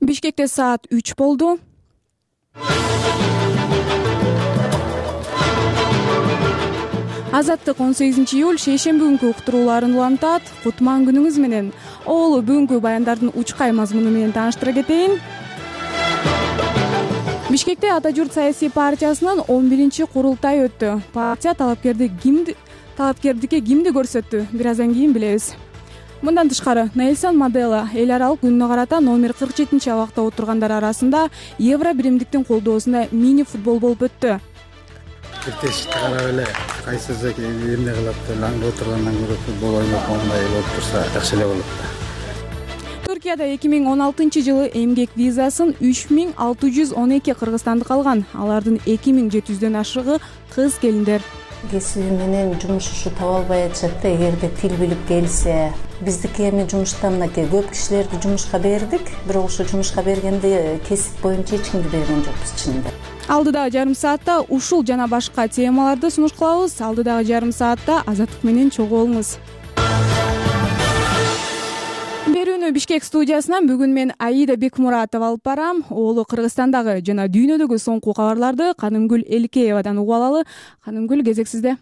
Бишкекте саат 3 болду. Азаттык 18-июль шейшемби күнкү уктурууларын улантат. Кутман күнүңүз менен. Оолу бүгүнкү баяндардын учкай мазмуну менен тааныштыра кетейин. Бишкекте Ата журт саясий партиясынын 11-чи курултайы өттү. Партия талапкердикке кимди көрсөттү? Бир аздан кийин билебиз. Мындан тышкары, Нельсон Мандела эл аралык күнүнө карата номер 47-чи абакта отургандар арасында евро биримдиктин колдоосунда мини футбол болуп өттү. Тешти карап эле кайсысы эмне кылат деп аңгы отургандан көрө футбол ойноп моундай болуп турса жакшы эле болот да. Түркияда 2016-жылы эмгек визасын 3612 кыргызстандык алган. Алардын 2700дөн ашыгы кыз келиндер. Кесиби менен жумуш ушу таба албай атышат да, эгерде тил билип келсе. Биздики эми жумуштан мынакей көп кишилерди жумушка бердик, бирок ошо жумушка бергенде кесип боюнча эч кимди берген жокпуз чынында. Алдыдагы жарым саатта ушул жана башка темаларды сунуш кылабыз. Алдыдагы жарым саатта Азаттык менен чогуу болуңуз. Берүүнү Бишкек студиясынан бүгүн мен Аида Бекмуратова алып барам. Оолу Кыргызстандагы жана дүйнөдөгү соңку кабарларды Канымгүл Элкеевадан угуп алалы. Канымгүл, кезек сизде.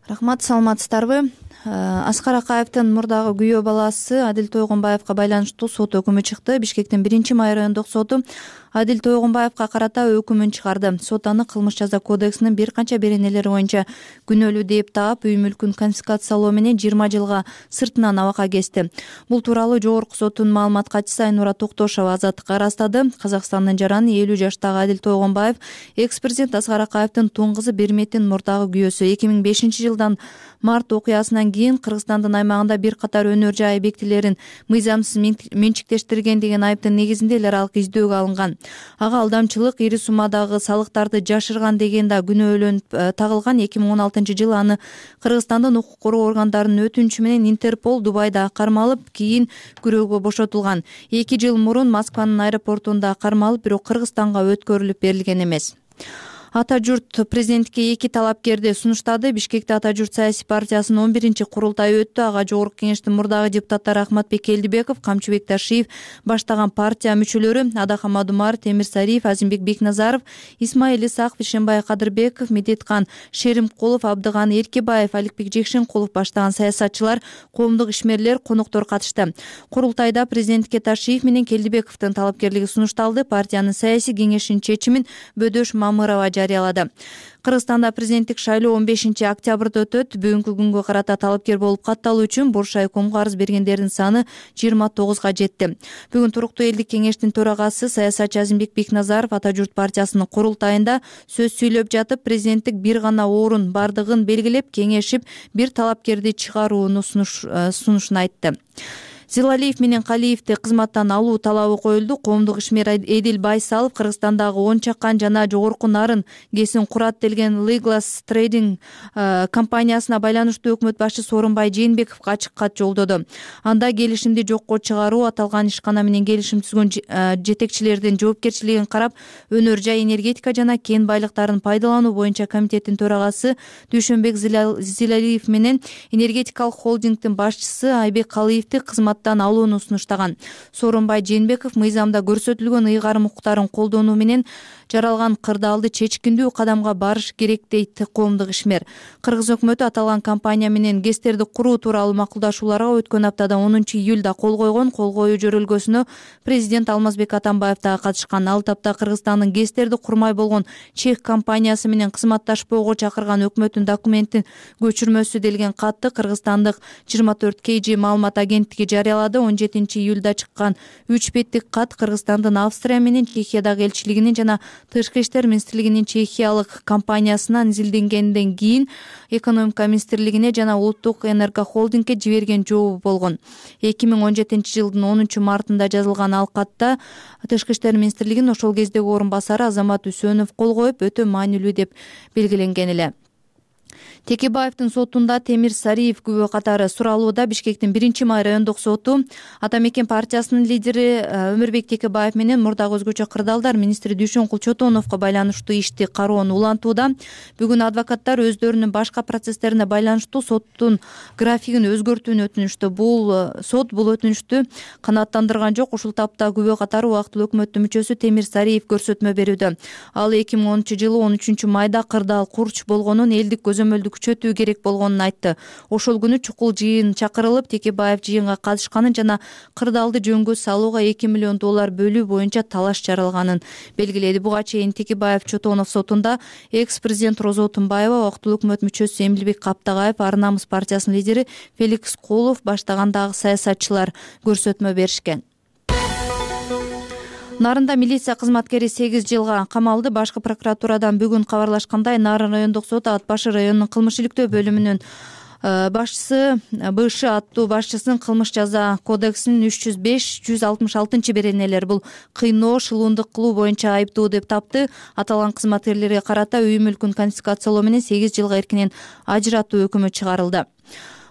Рахмат, саламатсыздарбы? Аскар Акаевдин мурдагы күйөө баласы Адил Тойгонбаевга байланыштуу сот өкүмү чыкты. Бишкектин 1-май райондук соту Адил Тойгонбаевга карата өкүмүн чыгарды. Сот аны кылмыш жаза кодексинин бир канча беренелери боюнча күнөөлүү деп таап, үй мүлкүн конфискациялоо менен 20 жылга сыртынан абакка кести. Бул тууралуу жогорку соттун маалымат катчысы Айнура Токтошова Азаттыкка ырастады. Казакстандын жараны 50 жаштагы Адил Тойгонбаев экс-президент Аскар Акаевдин тууң кызы Берметин мурдагы күйөөсү. 2005-жылдан март окуясынан кийин Кыргызстандын аймагында бир катар өнөр жай объектилерин мыйзамсыз менчиктештирген деген айыптын негизинде эл аралык издөөгө алынган. Ага алдамчылык, ири суммадагы салыктарды жашырган деген да күнөөлөнүп тагылган. 2016-жылы аны Кыргызстандын укук коргоо органдарынын өтүнүчү менен Интерпол Дубайда кармалып, кийин күрөөгө бошотулган. 2 жыл мурун Москванын аэропортунда кармалып, бирок Кыргызстанга өткөрүлүп берилген эмес. Ата журт президенттикке 2 талапкерди сунуштады. Бишкекте Ата журт саясий партиясынын 11-чи курултайы өттү. Ага жогорку кеңештин мурдагы депутаттары Ахматбек Келдибеков, Камчыбек Ташиев баштаган партия мүчөлөрү Адахам Адумар, Темир Сариев, Азимбек Бекназаров, Исмаил Исаков, Ишенбай Кадырбеков, Медеткан Шеримкулов, Абдыган Эркебаев, Аликбек Жекшенкулов баштаган саясатчылар, коомдук ишмерлер, коноктор катышты. Курултайда президенттикке Ташиев менен Келдибековдун талапкерлиги сунушталды. Партиянын саясий кеңешинин чечимин Бөдөш Мамырова жарыялады. Кыргызстанда президенттик шайлоо 15-октябрда өтөт. Бүгүнкү күнгө карата талапкер болуп катталуу үчүн Буршай комго арыз бергендердин саны 29га жетти. Бүгүн туруктуу элдик кеңештин төрагасы саясатчы Азимбек Бекназаров Ата журт партиясынын курултайында сөз сүйлөп жатып, президенттик бир гана орун бардыгын белгилеп, кеңешип, бир талапкерди чыгарууну сунушун айтты. Зилалиев менен Калиевди кызматтан алуу талабы коюлду. Коомдук ишмер Эдил Байсалов Кыргызстандагы 10 чакан жана жогорку нарын кесин курат делген Leglas Trading компаниясына байланыштуу өкмөт башчысы Сооронбай Жээнбековго ачык кат жолдоду. Анда келишимди жокко чыгаруу, аталган ишкана менен келишим түзгөн жетекчилердин жоопкерчилигин карап, өнөр жай энергетика жана кен байлыктарын пайдалануу боюнча комитеттин төрагасы Дүйшөнбек Зилалиев менен энергетикалык холдингдин башчысы Айбек Калиевди кызматтан алууну сунуштаган. Сооронбай Жээнбеков мыйзамда көрсөтүлгөн ыйгарым укуктарын колдонуу менен жаралган кырдаалды чечкиндүү кадамга барыш керек дейт коомдук ишмер. Кыргыз өкмөтү аталган компания менен ГЭСтерди куруу тууралуу макулдашууларга өткөн аптада 10-июлда кол койгон. Кол коюу жөрөлгөсүнө президент Алмазбек Атамбаев да катышкан. Ал тапта Кыргызстандын ГЭСтерди курмай болгон чех компаниясы менен кызматташпоого чакырган өкмөттүн документтин көчүрмөсү делген катты Кыргызстандык 24 KG маалымат агенттиги жарыялады. 17-июлда чыккан 3 беттик кат Кыргызстандын Австрия менен Чехиядагы элчилигинин жана Тышкы иштер министрлигинин чехиялык компаниясынан изилденгенден кийин экономика министрлигине жана улуттук энергохолдингге жиберген жообу болгон. 2017-жылдын 10-мартында жазылган ал катта Тышкы иштер министрлигинин ошол кездеги орун басары Азамат Үсөнов кол коюп, өтө маанилүү деп белгиленген эле. Текебаевдин сотунда Темир Сариев күбө катары суралууда. Бишкектин 1-май райондук соту Ата Мекен партиясынын лидери Өмүрбек Текебаев менен мурдагы өзгөчө кырдаалдар министри Дүйшөнкул Чотоновго байланыштуу ишти кароону улантууда. Бүгүн адвокаттар өздөрүнүн башка процесстерине байланыштуу соттун графигин өзгөртүүнү өтүнүштү. Сот бул өтүнүштү канааттандырган жок. Ушул тапта күбө катары убактылуу өкмөттүн мүчөсү Темир Сариев көрсөтмө берүүдө. Ал 2010-жылы 13-майда кырдаал курч болгонун, элдик көзөмөлдү күчөтүү керек болгонун айтты. Ошол күнү чукул жыйын чакырылып, Текебаев жыйынга катышканын жана кырдаалды жөнгө салууга $2 миллион бөлүү боюнча талаш жаралганын белгиледи. Буга чейин Текебаев Чотонов сотунда экс-президент Розо Тумбаева, убактылуу өкмөт мүчөсү Эмилбек Каптагаев, Ар намыс партиясынын лидери Феликс Кулов баштагандагы саясатчылар көрсөтмө беришкен. Нарында милиция кызматкери 8 жылга камалды. Башкы прокуратурадан бүгүн кабарлашкандай, Нарын райондук соты Ат башы районунун кылмыш иликтөө бөлүмүнүн башчысы БШ аттуу башчысынын кылмыш жаза кодексинин 305-166 беренелери бул кыйноо, шылуундук кылуу боюнча айыптуу деп тапты. Аталган кызматкерлерге карата үй мүлкүн конфискациялоо менен 8 жылга эркинен ажыратуу өкүмү чыгарылды.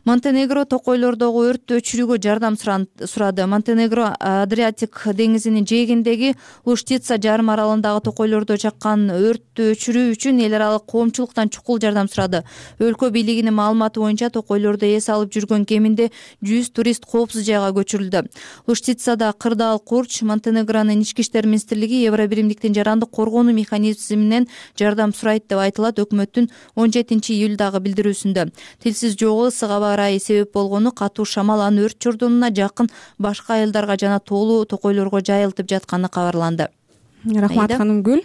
Монтенегро токойлордогу өрттү өчүрүүгө жардам сурады. Монтенегро Адриатик деңизинин жээгиндеги Луштица жарым аралындагы токойлордо чаккан өрттү өчүрүү үчүн эл аралык коомчулуктан чукул жардам сурады. Өлкө бийлигинин маалыматы боюнча токойлордо эс алып жүргөн кеминде 100 турист коопсуз жайга көчүрүлдү. Луштицада кырдаал курч. Монтенегронун ички иштер министрлиги Евро биримдиктин жарандык коргонуу механизминен жардам сурайт деп айтылат өкмөттүн 17-июлдагы билдирүүсүндө. Тилсиз жогу сыгаба ырайы себеп болгону катуу шамал анын өрт журдунуна жакын башка айылдарга жана тоолуу токойлорго жайылтып жатканы кабарланды. Рахмат Канымгүл.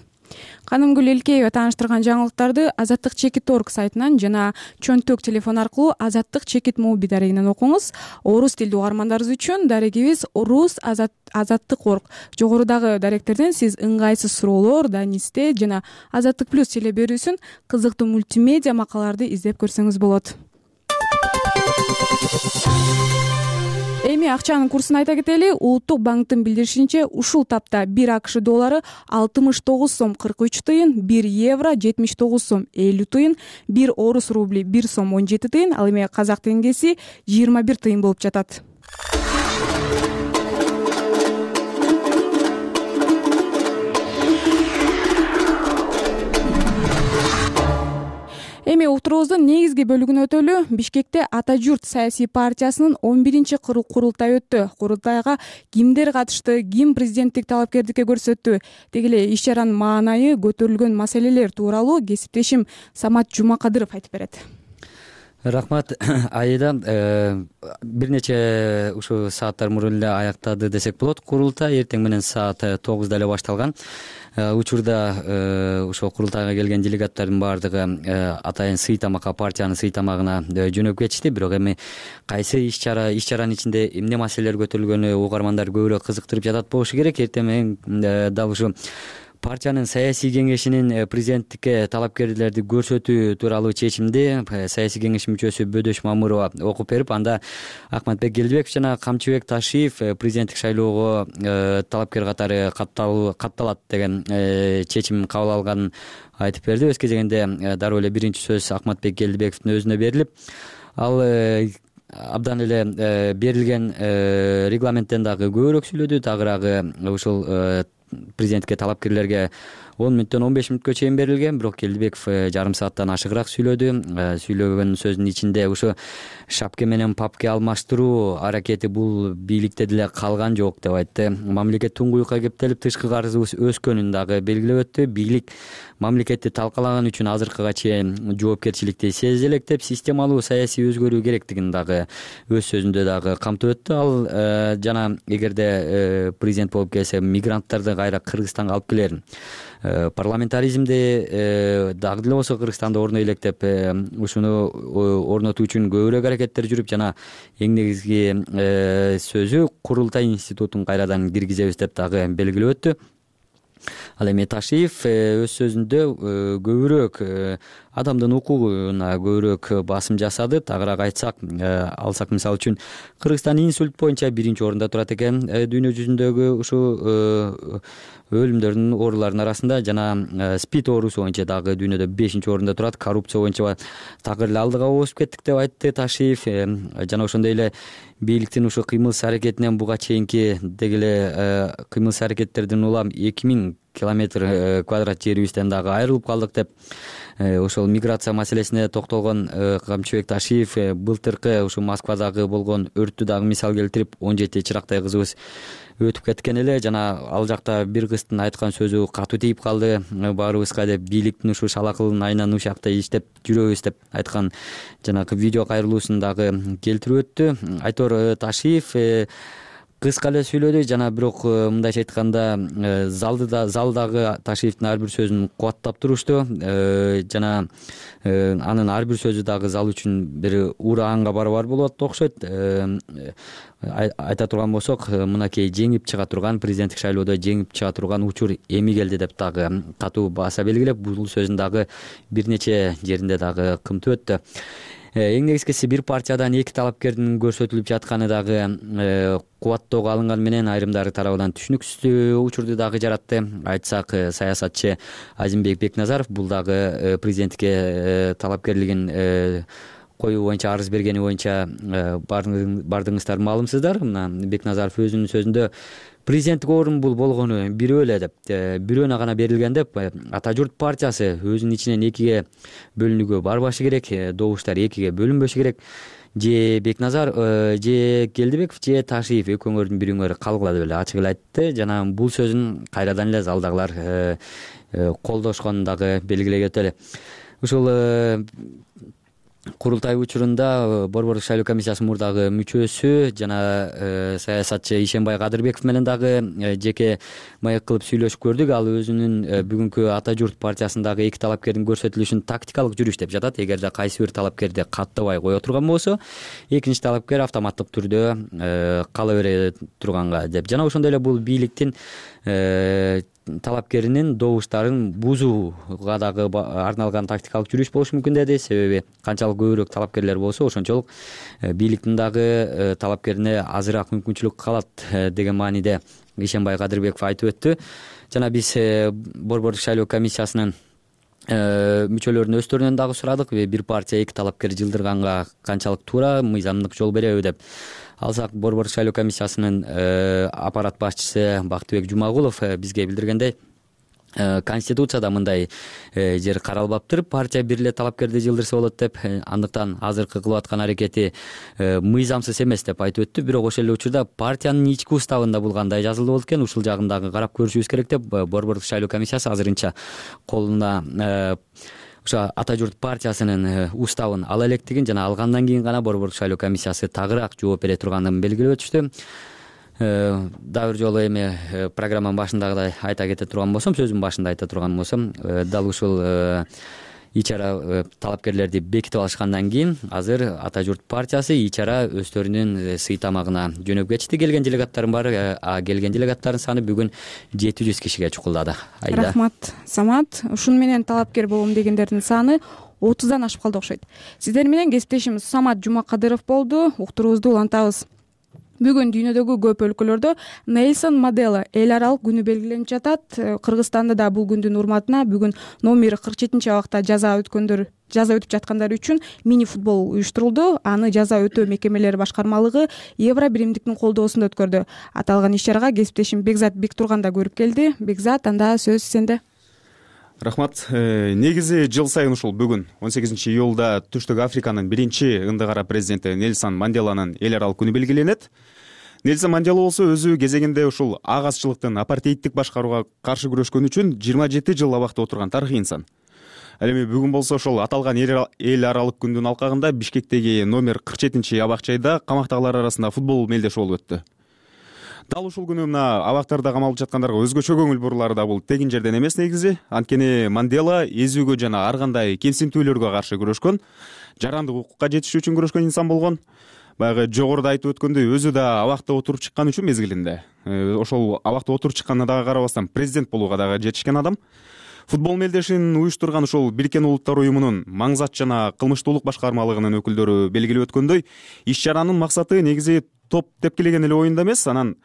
Канымгүл Элкеева тааныштырган жаңылыктарды Азаттык чекит орг сайтынан жана чөнтөк телефон аркылуу Азаттык чекит моби дарегинен окуңуз. Орус тилдүү угармандарыбыз үчүн дарегибиз Орус Азаттык орг. Жогорудагы даректерден сиз ыңгайсыз суроолор, данисте жана Азаттык плюс теле берүүсүн кызыктуу мультимедиа макалаларды издеп көрсөңүз болот. Эми акчанын курсун айта кетели. Улуттук банктын билдиришинче, ушул тапта 1 АКШ доллары 69 сом 43 тыйын, 1 евро 79 сом 50 тыйын, 1 орус рубли 1 сом 17 тыйын, ал эми казак теңгеси 21 тыйын болуп жатат. Эми уктуруубуздун негизги бөлүгүнө өтөлү. Бишкекте Ата журт саясий партиясынын 11-курултайы өттү. Курултайга кимдер катышты, ким президенттик талапкердикке көрсөттү, деги эле иш чаранын маанайы, көтөрүлгөн маселелер тууралуу кесиптешим Самат Жумакадыров айтып берет. Рахмат Айда. Бир нече ушу сааттар мурун эле аяктады десек болот. Курултай эртең менен саат 9-да эле башталган. Учурда ошол курултайга келген делегаттардын баардыгы атайын сый тамакка, партиянын сый тамагына жөнөп кетишти. Бирок эми кайсы иш чаранын ичинде эмне маселелер көтөрүлгөнү угармандар көбүрөөк кызыктырып жатат болушу керек. Эртең менен дал ушу партиянын саясий кеңешинин президенттикке талапкерлерди көрсөтүү тууралуу чечимди саясий кеңеш мүчөсү Бөдөш Мамырова окуп берип, анда Акматбек Келдибеков жана Камчыбек Ташиев президенттик шайлоого талапкер катары катталат деген чечим кабыл алганын айтып берди. Өз кезегинде дароо эле биринчи сөз Акматбек Келдибековдун өзүнө берилип, ал абдан эле берилген регламенттен дагы көбүрөөк сүйлөдү. Тагыраагы ушул президенттикке талапкерлерге 10 мүнөттөн 15 мүнөткө чейин берилген, бирок Келдибеков жарым сааттан ашыгыраак сүйлөдү. Сүйлөгөн сөзүнүн ичинде ушу шапке менен папке алмаштыруу аракети бул бийликте деле калган жок деп айтты. Мамлекет туңгуюкка кептелип, тышкы карызыбыз өскөнүн дагы белгилеп өттү. Бийлик мамлекетти талкалаган үчүн азыркыга чейин жоопкерчиликти сезе элек деп, системалуу саясий өзгөрүү керектигин дагы өз сөзүндө дагы камтып өттү. Ал жана эгерде президент болуп келсе, мигранттарды кайра Кыргызстанга алып келерин, парламентаризмди дагы деле болсо Кыргызстанда орной элек деп, ушуну орнотуу үчүн көбүрөөк аракеттер жүрүп, жана эң негизги сөзү курултай институтун кайрадан киргизебиз деп дагы белгилеп өттү. Ал эми Ташиев өз сөзүндө көбүрөөк адамдын укугуна көбүрөөк басым жасады. Тагыраак айтсак, алсак мисалы үчүн Кыргызстан инсульт боюнча 1-орунда турат экен дүйнө жүзүндөгү ушу өлүмдөрдүн ооруларынын арасында, жана спид оорусу боюнча дагы дүйнөдө 5-орунда турат. Коррупция боюнча такыр эле алдыга оозуп кеттик деп айтты Ташиев. Жана ошондой эле бийликтин ушу кыймыл аракетинен буга чейинки деги эле кыймыл аракеттерден улам 2000 километр квадрат жерибизден дагы айрылып калдык деп ошол миграция маселесине токтолгон Камчыбек Ташиев былтыркы ушу Москвадагы болгон өрттү дагы мисал келтирип, 17 чырактай кызыбыз өтүп кеткен эле, жана ал жакта бир кыздын айткан сөзү катуу тийип калды баарыбызга деп, бийликтин ушу шалакылын айынан ушакта иштеп жүрөбүз деп айткан жанагы видео кайрылуусун дагы келтирип өттү. Айтор Ташиев кыска эле сүйлөдү, жана бирок мындайча айтканда залдагы Ташиевдин ар бир сөзүн кубаттап турушту, жана анын ар бир сөзү дагы зал үчүн бир ураанга барабар болот окшойт. Айта турган болсок, мынакей жеңип чыга турган, президенттик шайлоодо жеңип чыга турган учур эми келди деп дагы катуу бааса белгилеп, бул сөзүн дагы бир нече жеринде дагы кымтып өттү. Эң негизгиси бир партиядан 2 талапкердин көрсөтүлүп жатканы дагы кубаттоого алынганы менен айрымдары тарабынан түшүнүксүз учурду дагы жаратты. Айтсак, саясатчы Азимбек Бекназаров бул дагы президенттикке талапкерлигин коюу боюнча арыз бергени боюнча бардыңыздар маалымсыздар. Мына Бекназаров өзүнүн сөзүндө президенттик орун бул болгону бирөө эле деп, бирөөнө гана берилген деп, Ата журт партиясы өзүнүн ичинен 2ге бөлүнүүгө барбашы керек, добуштар 2ге бөлүнбөшү керек. Же Бекназар, же Келдибеков, же Ташиев экөөңөрдүн бириңөр калгыла деп эле ачык эле айтты, жана бул сөзүн кайрадан эле залдагылар колдошконун дагы белгилей өтөлү. Ушул курултай учурунда Борбордук шайлоо комиссиясынын мурдагы мүчөсү жана саясатчы Ишенбай Кадырбеков менен дагы жеке маек кылып сүйлөшүп көрдүк. Ал өзүнүн бүгүнкү Ата журт партиясындагы 2 талапкердин көрсөтүлүшүн тактикалык жүрүш деп жатат. Эгерде кайсы бир талапкерди каттабай кое турган болсо, экинчи талапкер автоматтык түрдө кала бере турганга деп. Жана ошондой эле бул бийликтин талапкеринин добуштарын бузууга дагы арналган тактикалык жүрүш болушу мүмкүн деди. Себеби канчалык көбүрөөк талапкерлер болсо, ошончолук бийликтин дагы талапкерине азыраак мүмкүнчүлүк калат деген мааниде Ишенбай Кадырбеков айтып өттү. Жана биз Борбордук шайлоо комиссиясынын мүчөлөрүнүн өздөрүнөн дагы сурадык, бир партия 2 талапкер жылдырганга канчалык туура, мыйзамдык жол береби деп. Алсак, Борбордук шайлоо комиссиясынын аппарат башчысы Бактыбек Жумагулов бизге билдиргендей, Конституцияда мындай жер каралбаптыр, партия бир эле талапкерди жылдырса болот деп. Андыктан азыркы кылып аткан аракети мыйзамсыз эмес деп айтып өттү. Бирок ошол эле учурда партиянын ички уставында бул кандай жазылды болот экен, ушул жагын дагы карап көрүшүбүз керек деп Борбордук шайлоо комиссиясы азырынча колуна ошо Ата журт партиясынын уставын ала электигин, жана алгандан кийин гана Борбордук шайлоо комиссиясы тагыраак жооп бере турганын белгилеп өтүштү. Дагы бир жолу эми программанын башындагыдай айта кете турган болсом, сөзүмдүн башында айта турган болсом, дал ушул ичара талапкерлерди бекитип алышкандан кийин азыр Ата журт партиясы ичара өздөрүнүн сый тамагына жөнөп кетишти. Келген делегаттардын баары, келген делегаттардын саны бүгүн 700 кишиге чукулдады. Рахмат, Самат. Ушуну менен талапкер болом дегендердин саны 30дан ашып калды окшойт. Сиздер менен кесиптешим Самат Жумакадыров болду. Уктуруубузду улантабыз. Бүгүн дүйнөдөгү көп өлкөлөрдө Нельсон Мандела эл аралык күнү белгиленип жатат. Кыргызстанда да бул күндүн урматына бүгүн номер 47 абакта жаза өтүп жаткандар үчүн мини футбол уюштурулду. Аны жаза өтөө мекемелери башкармалыгы Евро биримдиктин колдоосунда өткөрдү. Аталган иш-чарага кесиптешим Бекзат Бектурган да көрүп келди. Бекзат, анда сөз сенде. Рахмат. Негизи жыл сайын ушул бүгүн 18-июлда Түштүк Африканын биринчи ындыгара президенти Нельсон Манделанын эл аралык күнү белгиленет. Нельсон Мандела болсо өзү кезегинде ушул агасчылыктын, апартеидтик башкарууга каршы күрөшкөн үчүн 27 жыл абакта отурган тарыхый инсан. Ал эми бүгүн болсо ошол аталган эл аралык күндүн алкагында Бишкектеги номер 47 абак-жайда камактагылар арасында футбол мелдеши болуп өттү. Дал ушул күнү мына абактарда камалып жаткандарга өзгөчө көңүл бурулары да бул тегин жерден эмес негизи. Анткени Мандела эзүүгө жана ар кандай кемсинтүүлөргө каршы күрөшкөн, жарандык укукка жетиш үчүн күрөшкөн инсан болгон. Баягы жогоруда айтып өткөндөй, өзү да абакта отуруп чыккан үчүн мезгилинде ошол абакта отуруп чыкканына дагы карабастан президент болууга дагы жетишкен адам. Футбол мелдешин уюштурган ушул Бириккен Улуттар уюмунун маңзат жана кылмыштуулук башкармалыгынын өкүлдөрү белгилеп өткөндөй, иш-чаранын максаты негизи топ тепкилеген эле оюнда эмес, анан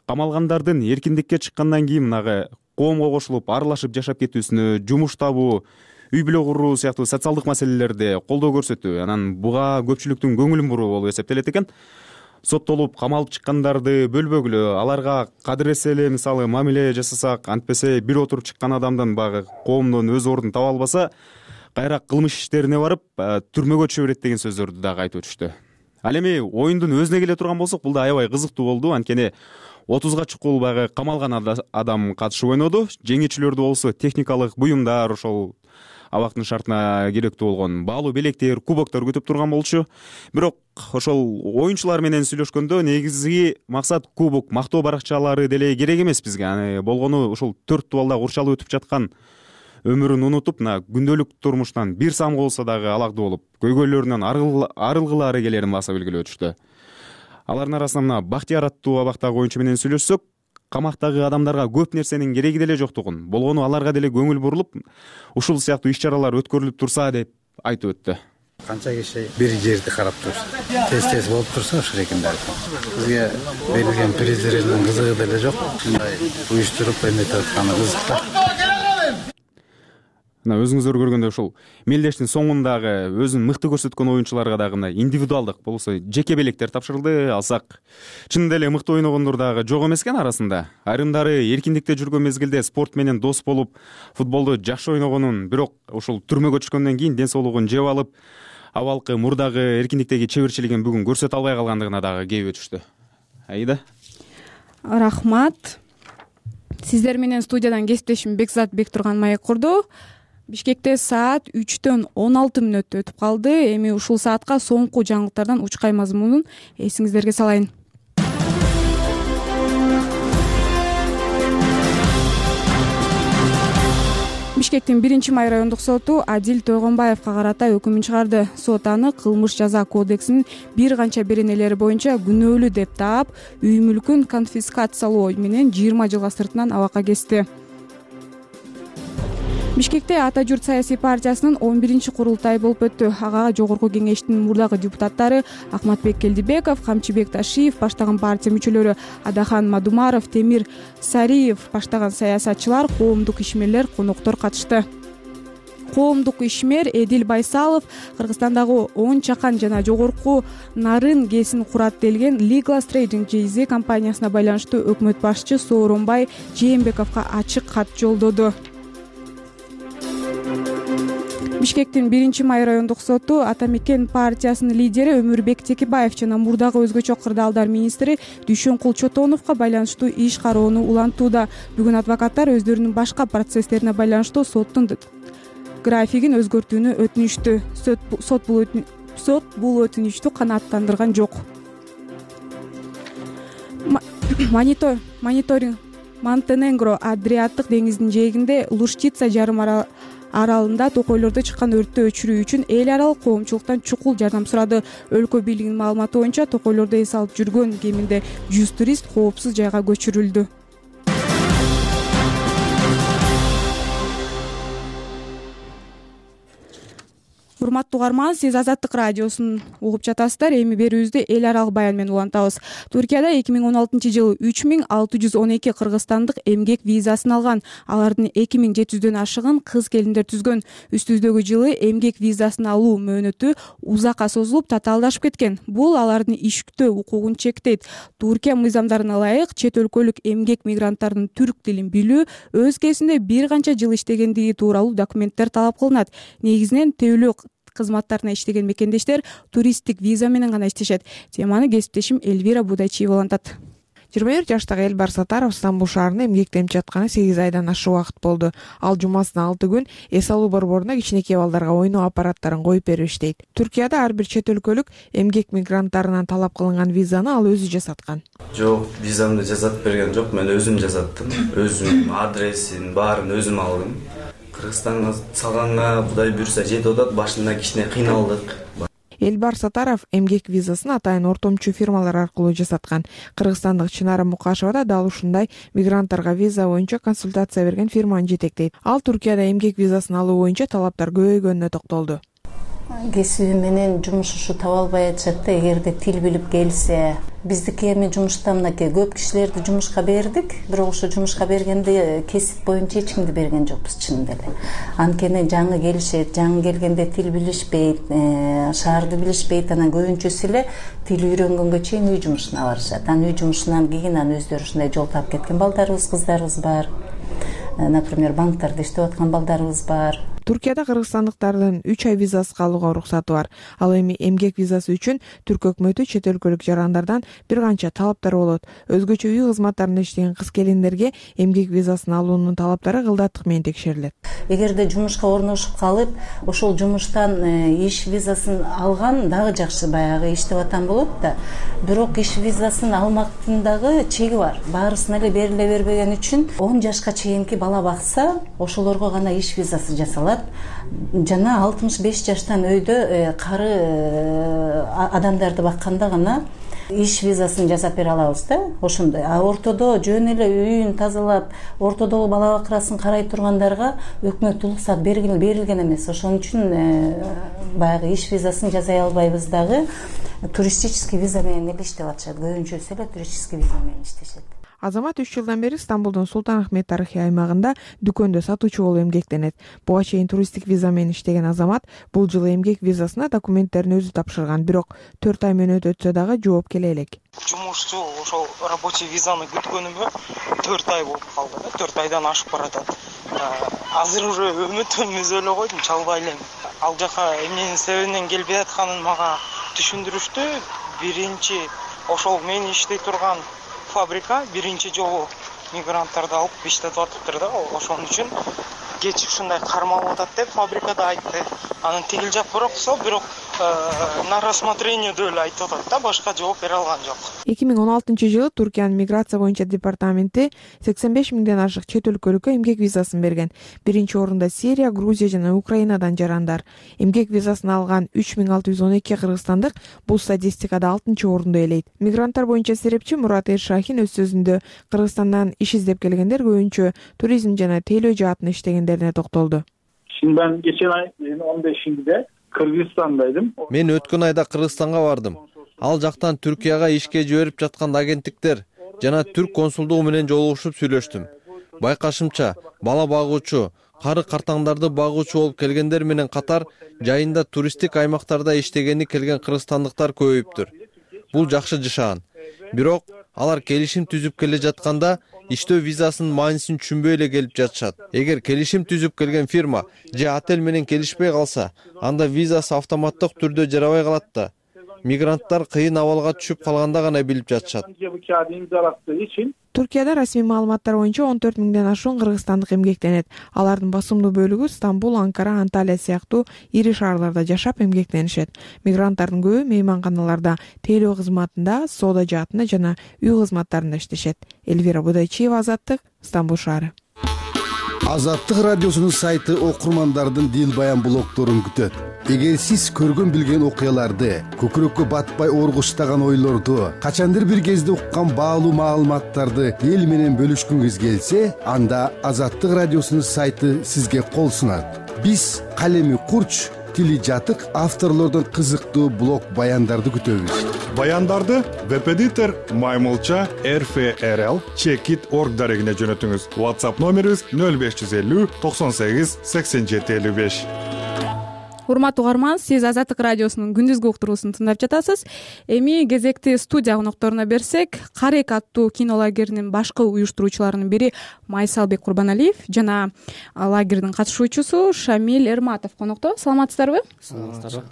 камалгандардын эркиндикке чыккандан кийин мынагы коомго кошулуп аралашып жашап кетүүсүнө, жумуш табуу, үй бүлө куруу сыяктуу социалдык маселелерде колдоо көрсөтүү, анан буга көпчүлүктүн көңүлүн буруу болуп эсептелет экен. Соттолуп камалып чыккандарды бөлбөгүлө, аларга кадыресе эле мисалы мамиле жасасак, антпесе бир отуруп чыккан адамдын багы коомдон өз ордун таба албаса, кайра кылмыш иштерине барып түрмөгө түшө берет деген сөздөрдү дагы айтып өтүштү. Ал эми оюндун өзүнө келе турган болсок, бул да аябай кызыктуу болду. Анткени 30га чукул багы камалган адам катышып ойноду. Жеңүүчүлөрдү болсо техникалык буюмдар, ошол абактын шартына керектүү болгон баалуу белектер, кубоктор күтүп турган болчу. Бирок ошол оюнчулар менен сүйлөшкөндө негизги максат кубок, мактоо баракчалары деле керек эмес бизге. Аны болгону ушул 4 дубалда курчалып өтүп жаткан өмүрүн унутуп, мына күндөлүк турмуштан бир самга болсо дагы алакдуу болуп, көйгөйлөрүнөн арылгылары келерин баса белгилеп өтүштү. Алардын арасынан мына Бактияр аттуу абактагы оюнчу менен сүйлөшсөк, камактагы адамдарга көп нерсенин кереги деле жоктугун, болгону аларга деле көңүл бурулуп, ушул сыяктуу иш-чаралар өткөрүлүп турса деп айтып өттү. Канча киши бир жерди карап турса, тез болуп турса ошол экенде. Бизге берилген призлердин кызыгы деле жок. Ушундай уюштуруп эметип атканы кызык. Мына өзүңүздөр көргөндөй ушул мелдештин соңундагы өзүн мыкты көрсөткөн оюнчуларга дагы мына индивидуалдык болбосо жеке белектер тапшырылды. Алсак чынында эле мыкты ойногондор дагы жок эмес экен арасында. Айрымдары эркиндикте жүргөн мезгилде спорт менен дос болуп, футболду жакшы ойногонун, бирок ушул түрмөгө түшкөндөн кийин ден соолугун жеп алып, абалкы мурдагы эркиндиктеги чеберчилигин бүгүн көрсөтө албай калгандыгына дагы кейип өтүштү. Айда. Рахмат. Сиздер менен студиядан кесиптешим Бекзат Бектурган маек курду. Бишкекте саат 3-төн 16 мүнөт өтүп калды. Эми ушул саатка соңку жаңылыктардан учкай мазмунун эсиңиздерге салайын. Бишкектин 1-май райондук соту Адил Тойгонбаевга карата өкүмүн чыгарды. Сот аны кылмыш жаза кодексинин бир канча беренелери боюнча күнөөлүү деп таап, үй мүлкүн конфискациялоо менен 20 жылга сыртынан абакка кести. Бишкекте Ата журт саясий партиясынын 11-курултайы болуп өттү. Ага жогорку кеңештин мурдагы депутаттары Акматбек Келдибеков, Камчыбек Ташиев баштаган партия мүчөлөрү, Адахан Мадумаров, Темир Сариев баштаган саясатчылар, коомдук ишмерлер, коноктор катышты. Коомдук ишмер Эдил Байсалов Кыргызстандагы 10 чакан жана жогорку нарын кесин курат делген Legal Trading JZ компаниясына байланыштуу өкмөт башчы Сооронбай Жээнбековго ачык кат жолдоду. Бишкектин 1-май райондук соту Ата Мекен партиясынын лидери Өмүрбек Текебаев жана мурдагы өзгөчө кырдаалдар министри Дүйшөнкул Чотоновго байланыштуу иш кароону улантууда. Бүгүн адвокаттар өздөрүнүн башка процесстерине байланыштуу соттун графигин өзгөртүүнү өтүнүштү. Сот бул өтүнүчтү канааттандырган жок. Мониторинг Монтенегро Адриаттык деңизинин жээгинде Луштица жарым аралында токойлордо чыккан өрттү өчүрүү үчүн эл аралык коомчулуктан чукул жардам сурады. Өлкө бийлигинин маалыматы боюнча токойлордо эс алып жүргөн кеминде 100 турист коопсуз жайга көчүрүлдү. Урматтуу угарман, сиз Азаттык радиосун угуп жатасыздар. Эми берүүбүздү эл аралык баян менен улантабыз. Туркияда 2016-жылы 3612 кыргызстандык эмгек визасын алган. Алардын 2700дөн ашыгын кыз келиндер түзгөн. Үстүбүздөгү жылы эмгек визасын алуу мөөнөтү узакка созулуп, татаалдашып кеткен. Бул алардын иш күтүү укугун чектейт. Туркия мыйзамдарына ылайык, чет өлкөлүк эмгек мигранттардын түрк тилин билүү, өз кесинде бир канча жыл иштегендиги тууралуу документтер талап кылынат. Негизинен тейлөө кызматтарына иштеген мекендештер туристтик виза менен гана иштешет. Теманы кесиптешим Эльвира Будайчиева улантат. 21 жаштагы Элбар Сатаров Стамбул шаарында эмгектенип жатканы 8 айдан ашык убакыт болду. Ал жумасына 6 күн эс алуу борборуна кичинекей балдарга ойноо аппараттарын коюп берип иштейт. Туркияда ар бир чет өлкөлүк эмгек мигранттарынан талап кылынган визаны ал өзү жасаткан. Жок, визамды жасатып берген жок, мен өзүм жасаттым. Өзүм адресин баарын өзүм алдым. Кыргызстанга салганга Кудай буйрса жетип атат, башында кичине кыйналдык. Элбар Сатаров эмгек визасын атайын ортомчу фирмалар аркылуу жасаткан. Кыргызстандык Чынара Мукашева да дал ушундай мигранттарга виза боюнча консультация берген фирманы жетектейт. Ал Түркияда эмгек визасын алуу боюнча талаптар көбөйгөнүнө токтолду. Кесиби менен жумуш ушу таба албай атышат да, эгерде тил билип келсе. Биздики эми жумушта мынакей көп кишилерди жумушка бердик, бирок ошо жумушка бергенде кесип боюнча эч кимди берген жокпуз чынында эле. Анткени жаңы келишет, жаңы келгенде тил билишпейт, шаарды билишпейт, анан көбүнчөсү эле тил үйрөнгөнгө чейин үй жумушуна барышат. Анан үй жумушунан кийин өздөрү ушундай жол таап кеткен балдарыбыз, кыздарыбыз бар. Например, банктарда иштеп аткан балдарыбыз бар. Түркияда кыргызстандыктардын 3 ай визасы алууга уруксаты бар. Ал эми эмгек визасы үчүн Түрк өкмөтү чет өлкөлүк жарандардан бир канча талаптар болот. Өзгөчө үй кызматтарында иштеген кыз-келиндерге эмгек визасын алуунун талаптары кылдаттык менен текшерилет. Эгерде жумушка орношуп калып, ошол жумуштан иш визасын алган дагы жакшы, баягы иштеп атам болот да. Бирок иш визасын алмактын дагы чеги бар. Баарысына эле бериле бербеген үчүн 10 жашка чейинки бала бакса, ошолорго гана иш визасы жасалат. Жана 65 жаштан өйдө кары адамдарды бакканда гана иш визасын жасап бере алабыз да, ошондой. Ортодо жөн эле үйүн тазалап, ортодогу бала бакырасын карай тургандарга өкмөт уруксат берилген эмес. Ошон үчүн баягы иш визасын жасай албайбыз дагы. Туристический виза менен эле иштеп атышат. Көбүнчөсү эле туристический виза менен иштешет. Азамат 3 жылдан бери Стамбулдун Султан-Ахмет тарыхый аймагында дүкөндө сатуучу болуп эмгектенет. Буга чейин туристтик виза менен иштеген Азамат бул жылы эмгек визасына документтерин өзү тапшырган, бирок 4 ай мөөнөт өтсө дагы жооп келе элек. Жумушчу ошол рабочий визаны күткөнүмө 4 ай болуп калды да, 4 айдан ашып баратат. Азыр уже үмүтүмүз эле койдум, чалбай элем. Ал жака эмненин себебинен келбей атканын мага түшүндүрүштү. Биринчи ошол мен иштей турган фабрика биринчи жолу мигранттарды алып иштетип атыптыр да, ошон үчүн кеч ушундай кармалып атат деп фабрикада айтты. Анын тигил жак бирок на рассмотрениеде эле айтып атат да, башка жооп бере алган жок. 2016-жылы Туркиянын миграция боюнча департаменти 85 миңден ашык чет өлкөлүккө эмгек визасын берген. Биринчи орунда Сирия, Грузия жана Украинадан жарандар. Эмгек визасын алган 3612 кыргызстандык бул статистикада 6-орунду ээлейт. Мигранттар боюнча серепчи Мурат Эршахин өз сөзүндө Кыргызстандан иш издеп келгендер көбүнчө туризм жана тейлөө жаатында иштегендерине токтолду. Ben geçen ay 15'inde Kırgızistan'daydım. Мен өткөн айда Кыргызстанга бардым. Ал жактан Түркияга ишке жиберип жаткан агенттиктер жана түрк консулдугу менен жолугушуп сүйлөштүм. Байкашымча, бала багуучу, кары картаңдарды багуучу болуп келгендер менен катар жайында туристтик аймактарда иштегени келген кыргызстандыктар көбөйүптүр. Бул жакшы жашаган. Бирок алар келишим түзүп келе жатканда иштөө визасынын маанисин түшүнбөй эле келип жатышат. Эгер келишим түзүп келген фирма же отель менен келишпей калса, анда визасы автоматтык түрдө жарабай калат да. Мигранттар кыйын абалга түшүп калганда гана билип жатышат. Түркияда расмий маалыматтар боюнча 14 миңден ашуун кыргызстандык эмгектенет. Алардын басымдуу бөлүгү Стамбул, Анкара, Анталия сыяктуу ири шаарларда жашап эмгектенишет. Мигранттардын көбү мейманканаларда, тейлөө кызматында, соода жаатында жана үй кызматтарында иштешет. Эльвира Будайчиева, Азаттык, Стамбул шаары. Азаттык радиосунун сайты окурмандардын дил баян блогторун күтөт. Эгер сиз көргөн билген окуяларды, көкүрөккө батпай оргуштаган ойлорду, качандыр бир кезде уккан баалуу маалыматтарды эл менен бөлүшкүңүз келсе, анда Азаттык радиосунун сайты сизге кол сунат. Биз калеми курч, тили жатык авторлордон кызыктуу блог баяндарды күтөбүз. Баяндарды веб-эдитор Маймылча RFRL Checkit.org дарегине жөнөтүңүз. WhatsApp номерибиз 0550 98 87 55. Урматтуу угарман, сиз Азаттык радиосунун күндүзгү уктуруусун тыңдап жатасыз. Эми кезекти студия конокторуна берсек, Карек аттуу кино лагеринин башкы уюштуруучуларынын бири Майсалбек Курбаналиев жана лагердин катышуучусу Шамиль Эрматов конокто. Саламатсыздарбы? Саламатсыздарбы.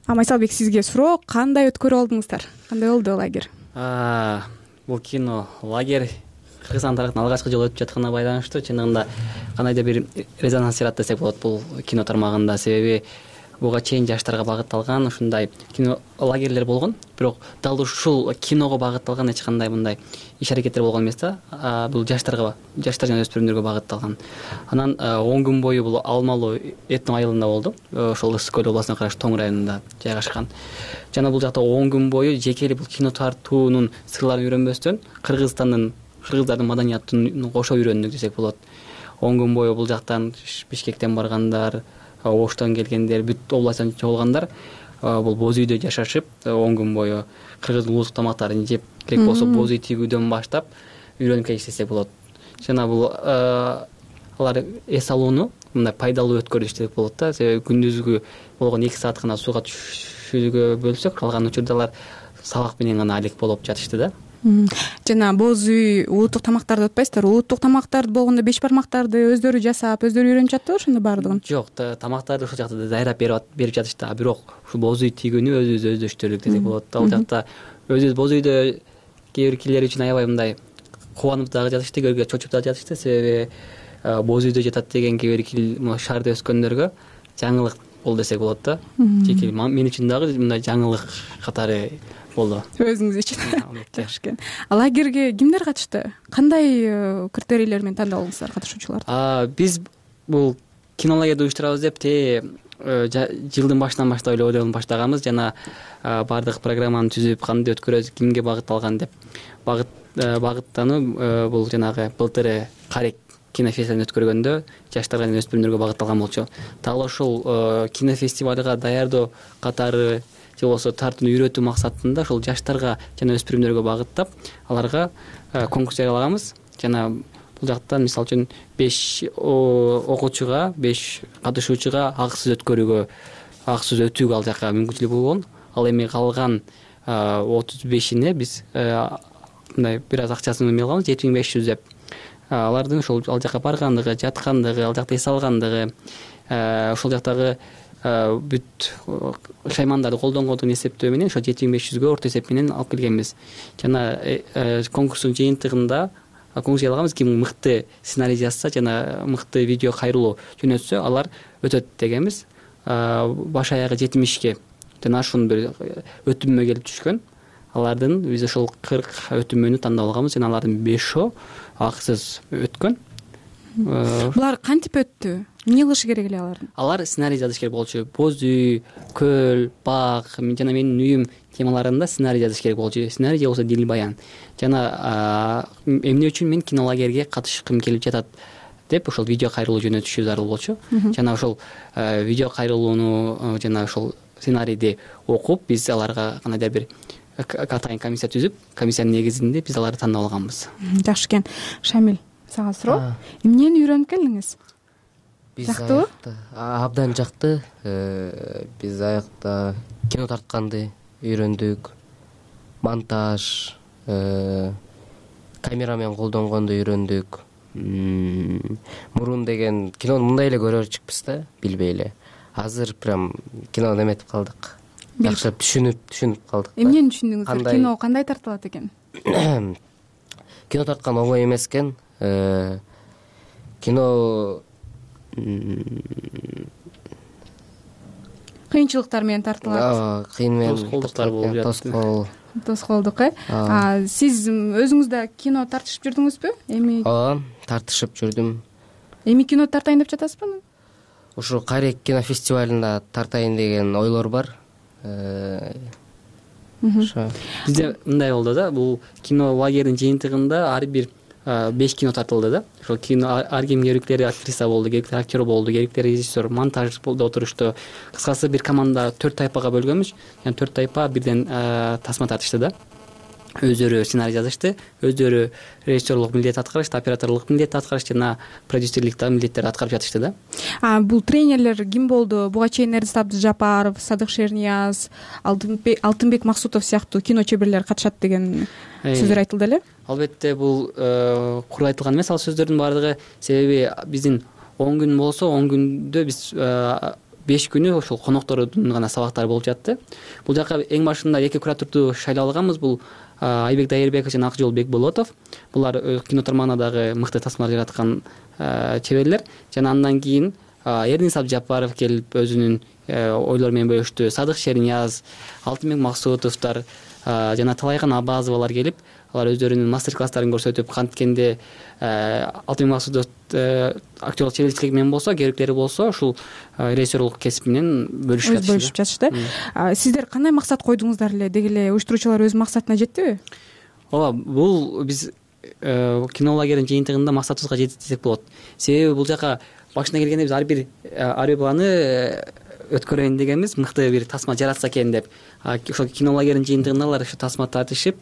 Майсалбек, сизге суроо, кандай өткөрүп алдыңыздар? Кандай болду лагерь? Бул кино лагерь Кыргызстан тарыхында алгачкы жолу өтүп жатканына байланыштуу. Чындыгында кандайдыр бир резонанс жарат десек болот бул кино тармагында. Себеби буга чейин жаштарга багытталган ушундай кино лагерлер болгон, бирок дал ушул киного багытталган эч кандай мындай иш аракеттер болгон эмес да. Бул жаштар жана өспүрүмдөргө багытталган. Анан 10 күн бою бул Алмалуу этно айылында болду. Ошол Ысык көл областына караштуу Тоң районунда жайгашкан. Жана бул жакта 10 күн бою жеке эле бул кино тартуунун сырларын үйрөнбөстөн кыргыздардын маданиятын кошо үйрөндүк десек болот. 10 күн бою бул жактан Бишкектен баргандар, Оштон келгендер, бүт областтан чогулгандар бул боз үйдө жашашып 10 күн бою кыргыздын улуттук тамактарын жеп, керек болсо боз үй тигүүдөн баштап үйрөнүп келишти десек болот. Жана бул алар эс алууну мындай пайдалуу өткөрдү десек болот да. Себеби күндүзгү болгон 2 саат гана сууга түшүүгө бөлсөк, калган учурда алар сабак менен гана алек болуп жатышты да. Жана боз үй улуттук тамактарды отпайсыздар. Улуттук тамактарды болгондо 5 бармактарды өздөрү жасап, өздөрү үйрөнүп жатты ошондо баардыгын? Жок, тамактарды ошол жакта даярдап берип жатышты. Бирок ушу боз үй тигүүнү өзүбүз өздөштүрдүк десек болот да. Ал жакта өзүбүз боз үйдө кээ бир кирлер үчүн аябай мындай кубанып дагы жатышты, көргө чочуп дагы жатышты. Себеби боз үйдө жатат деген кээ бир кил шаарда өскөндөргө жаңылык болду десек болот да. Жеке мен үчүн дагы мындай жаңылык катары болду. Өзүңүз үчүн. Жакшы экен. Лагерге кимдер катышты? Кандай критерийлер менен тандалдыңыздар катышуучуларды? Биз бул кино лагерди уюштурабыз деп жылдын башынан баштап эле ойдон баштаганбыз. Жана баардык программаны түзүп, кандай өткөрөбүз, кимге багытталган деп багыттануу бул жанагы былтыр Карек кинофестивалын өткөргөндө жаштарга жана өспүрүмдөргө багытталган болчу. Дал ошол кинофестивалга даярдоо катары же болбосо тартууну үйрөтүү максатында ошол жаштарга жана өспүрүмдөргө багыттап, аларга конкурс жарыялаганбыз. Жана бул жактан мисалы үчүн 5 окуучуга, 5 катышуучуга акысыз өтүүгө ал жака мүмкүнчүлүк болгон. Ал эми калган 35ине биз мындай бир аз акчасын эме алганбыз, 7500 деп. Алардын ошол ал жака баргандыгы, жаткандыгы, ал жакта эс алгандыгы, ошол жактагы бүт шаймандарды колдонгондугун эсептөө менен ошо 7500гө орто эсеп менен алып келгенбиз. Жана конкурстун жыйынтыгында конкурс жарыялаганбыз. Ким мыкты сценарий жазса жана мыкты видео кайрылуу жөнөтсө, алар өтөт дегенбиз. Баш аягы 70ке жана ашуун бир өтүмө келип түшкөн. Алардын биз ошол 40 өтүмөнү тандап алганбыз жана алардын 5 акысыз өткөн. Булар кантип өттү? Эмне кылышы керек эле алардын? Алар сценарий жазыш керек болчу. Боз үй, көл, баг жана менин үйүм темаларында сценарий жазыш керек болчу. Сценарий же болбосо дил баян. Жана эмне үчүн мен кинолагерге катышкым келип жатат деп ошол видео кайрылуу жөнөтүшү зарыл болчу. Жана ошол видео кайрылууну жана ошол сценарийди окуп, биз аларга кандайдыр бир атайын комиссия түзүп, комиссиянын негизинде биз аларды тандап алганбыз. Жакшы экен. Шамил, сага суроо. Эмнени үйрөнүп келдиңиз? Жактыбы? Абдан жакты. Биз аякта кино тартканды үйрөндүк. Монтаж, камерамен колдонгонду үйрөндүк. Мурун деген кинону мындай эле көрөрчүкпүз да, билбей эле. Азыр прям кинону эметип калдык. Жакшылап түшүнүп калдык. Эмнени түшүндүңүздөр? Кино кандай тартылат экен? Кино тарткан оңой эмес экен. Кино кыйынчылыктар менен тартылат. Кыйын менен тоскоолдуктар болуп жатты. Тоскоолдук, Сиз өзүңүз да кино тартышып жүрдүңүзбү? Эми тартышып жүрдүм. Эми кино тартайын деп жатасызбы? Ушу Карек кинофестивалында тартайын деген ойлор бар. Бизде мындай болду да, бул кино лагердин жыйынтыгында ар бир 5 кино тартылды да. Ошол кино ар ким керектери актриса болду, керектери актер болду, керектери режиссер, монтаж болду, отурушту. Кыскасы бир команда 4 тайпага бөлгөнбүз. Жана 4 тайпа бирден тасма тартышты да. Өздөрү сценарий жазышты, өздөрү режиссерлук милдет аткарышты, операторлук милдет аткарышты жана продюсерлик да милдеттерди аткарып жатышты да. Бул тренерлер ким болду? Буга чейин Эрдис Абдыжапаров, Садык Шернияз, Алтынбек Максутов сыяктуу кино чеберлер катышат деген сөздөр айтылды эле. Албетте бул кур айтылган эмес ал сөздөрдүн баардыгы. Себеби биздин 10 күн болсо, 10 күндө биз 5 күнү ошол коноктордун гана сабактары болуп жатты. Бул жака эң башында 2 кураторду шайлап алганбыз. Бул Айбек Дайырбеков жана Акжол Бекболотов. Булар кино тармагына дагы мыкты тасмалар жараткан чеберлер. Жана андан кийин Эрдис Абдыжапаров келип өзүнүн ойлор менен бөлүштү. Садык Шернияз, Алтынбек Максутовдор жана Талайган Абазовалар келип, алар өздөрүнүн мастер класстарын көрсөтүп, канткенде Алтынбек Максутов актерлук чеберчилиги менен болсо, керектери болсо, ушул режиссерлук кесип менен бөлүшүп жатышты. Сиздер кандай максат койдуңуздар эле? Деги эле уюштуруучулар өз максатына жеттиби? Ооба, бул биз кинолагердин жыйынтыгында максатыбызга жеттик десек болот. Себеби бул жака башына келгенде биз ар бир баланы өткөрөйүн дегенбиз, мыкты бир тасма жаратса экен деп. Ошол кинолагердин жыйынтыгында алар ушу тасма тартышып,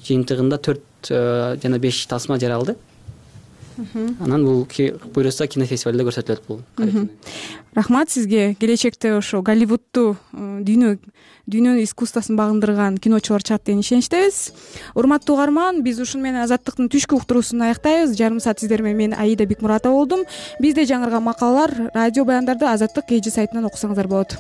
жыйынтыгында 4 жана 5 тасма жаралды. Анан бул буйрса кинофестивалда көрсөтүлөт бул. Рахмат сизге. Келечекте ошо Голливудту дүйнөнүн искусствосун багындырган киночулар чыгат деген ишеничтебиз. Урматтуу угарман, биз ушуну менен Азаттыктын түшкү уктуруусун аяктайбыз. Жарым саат сиздер менен мен Аида Бекмуратова болдум. Бизде жаңырган макалалар, радио баяндарды Азаттык KG сайтынан окусаңыздар болот.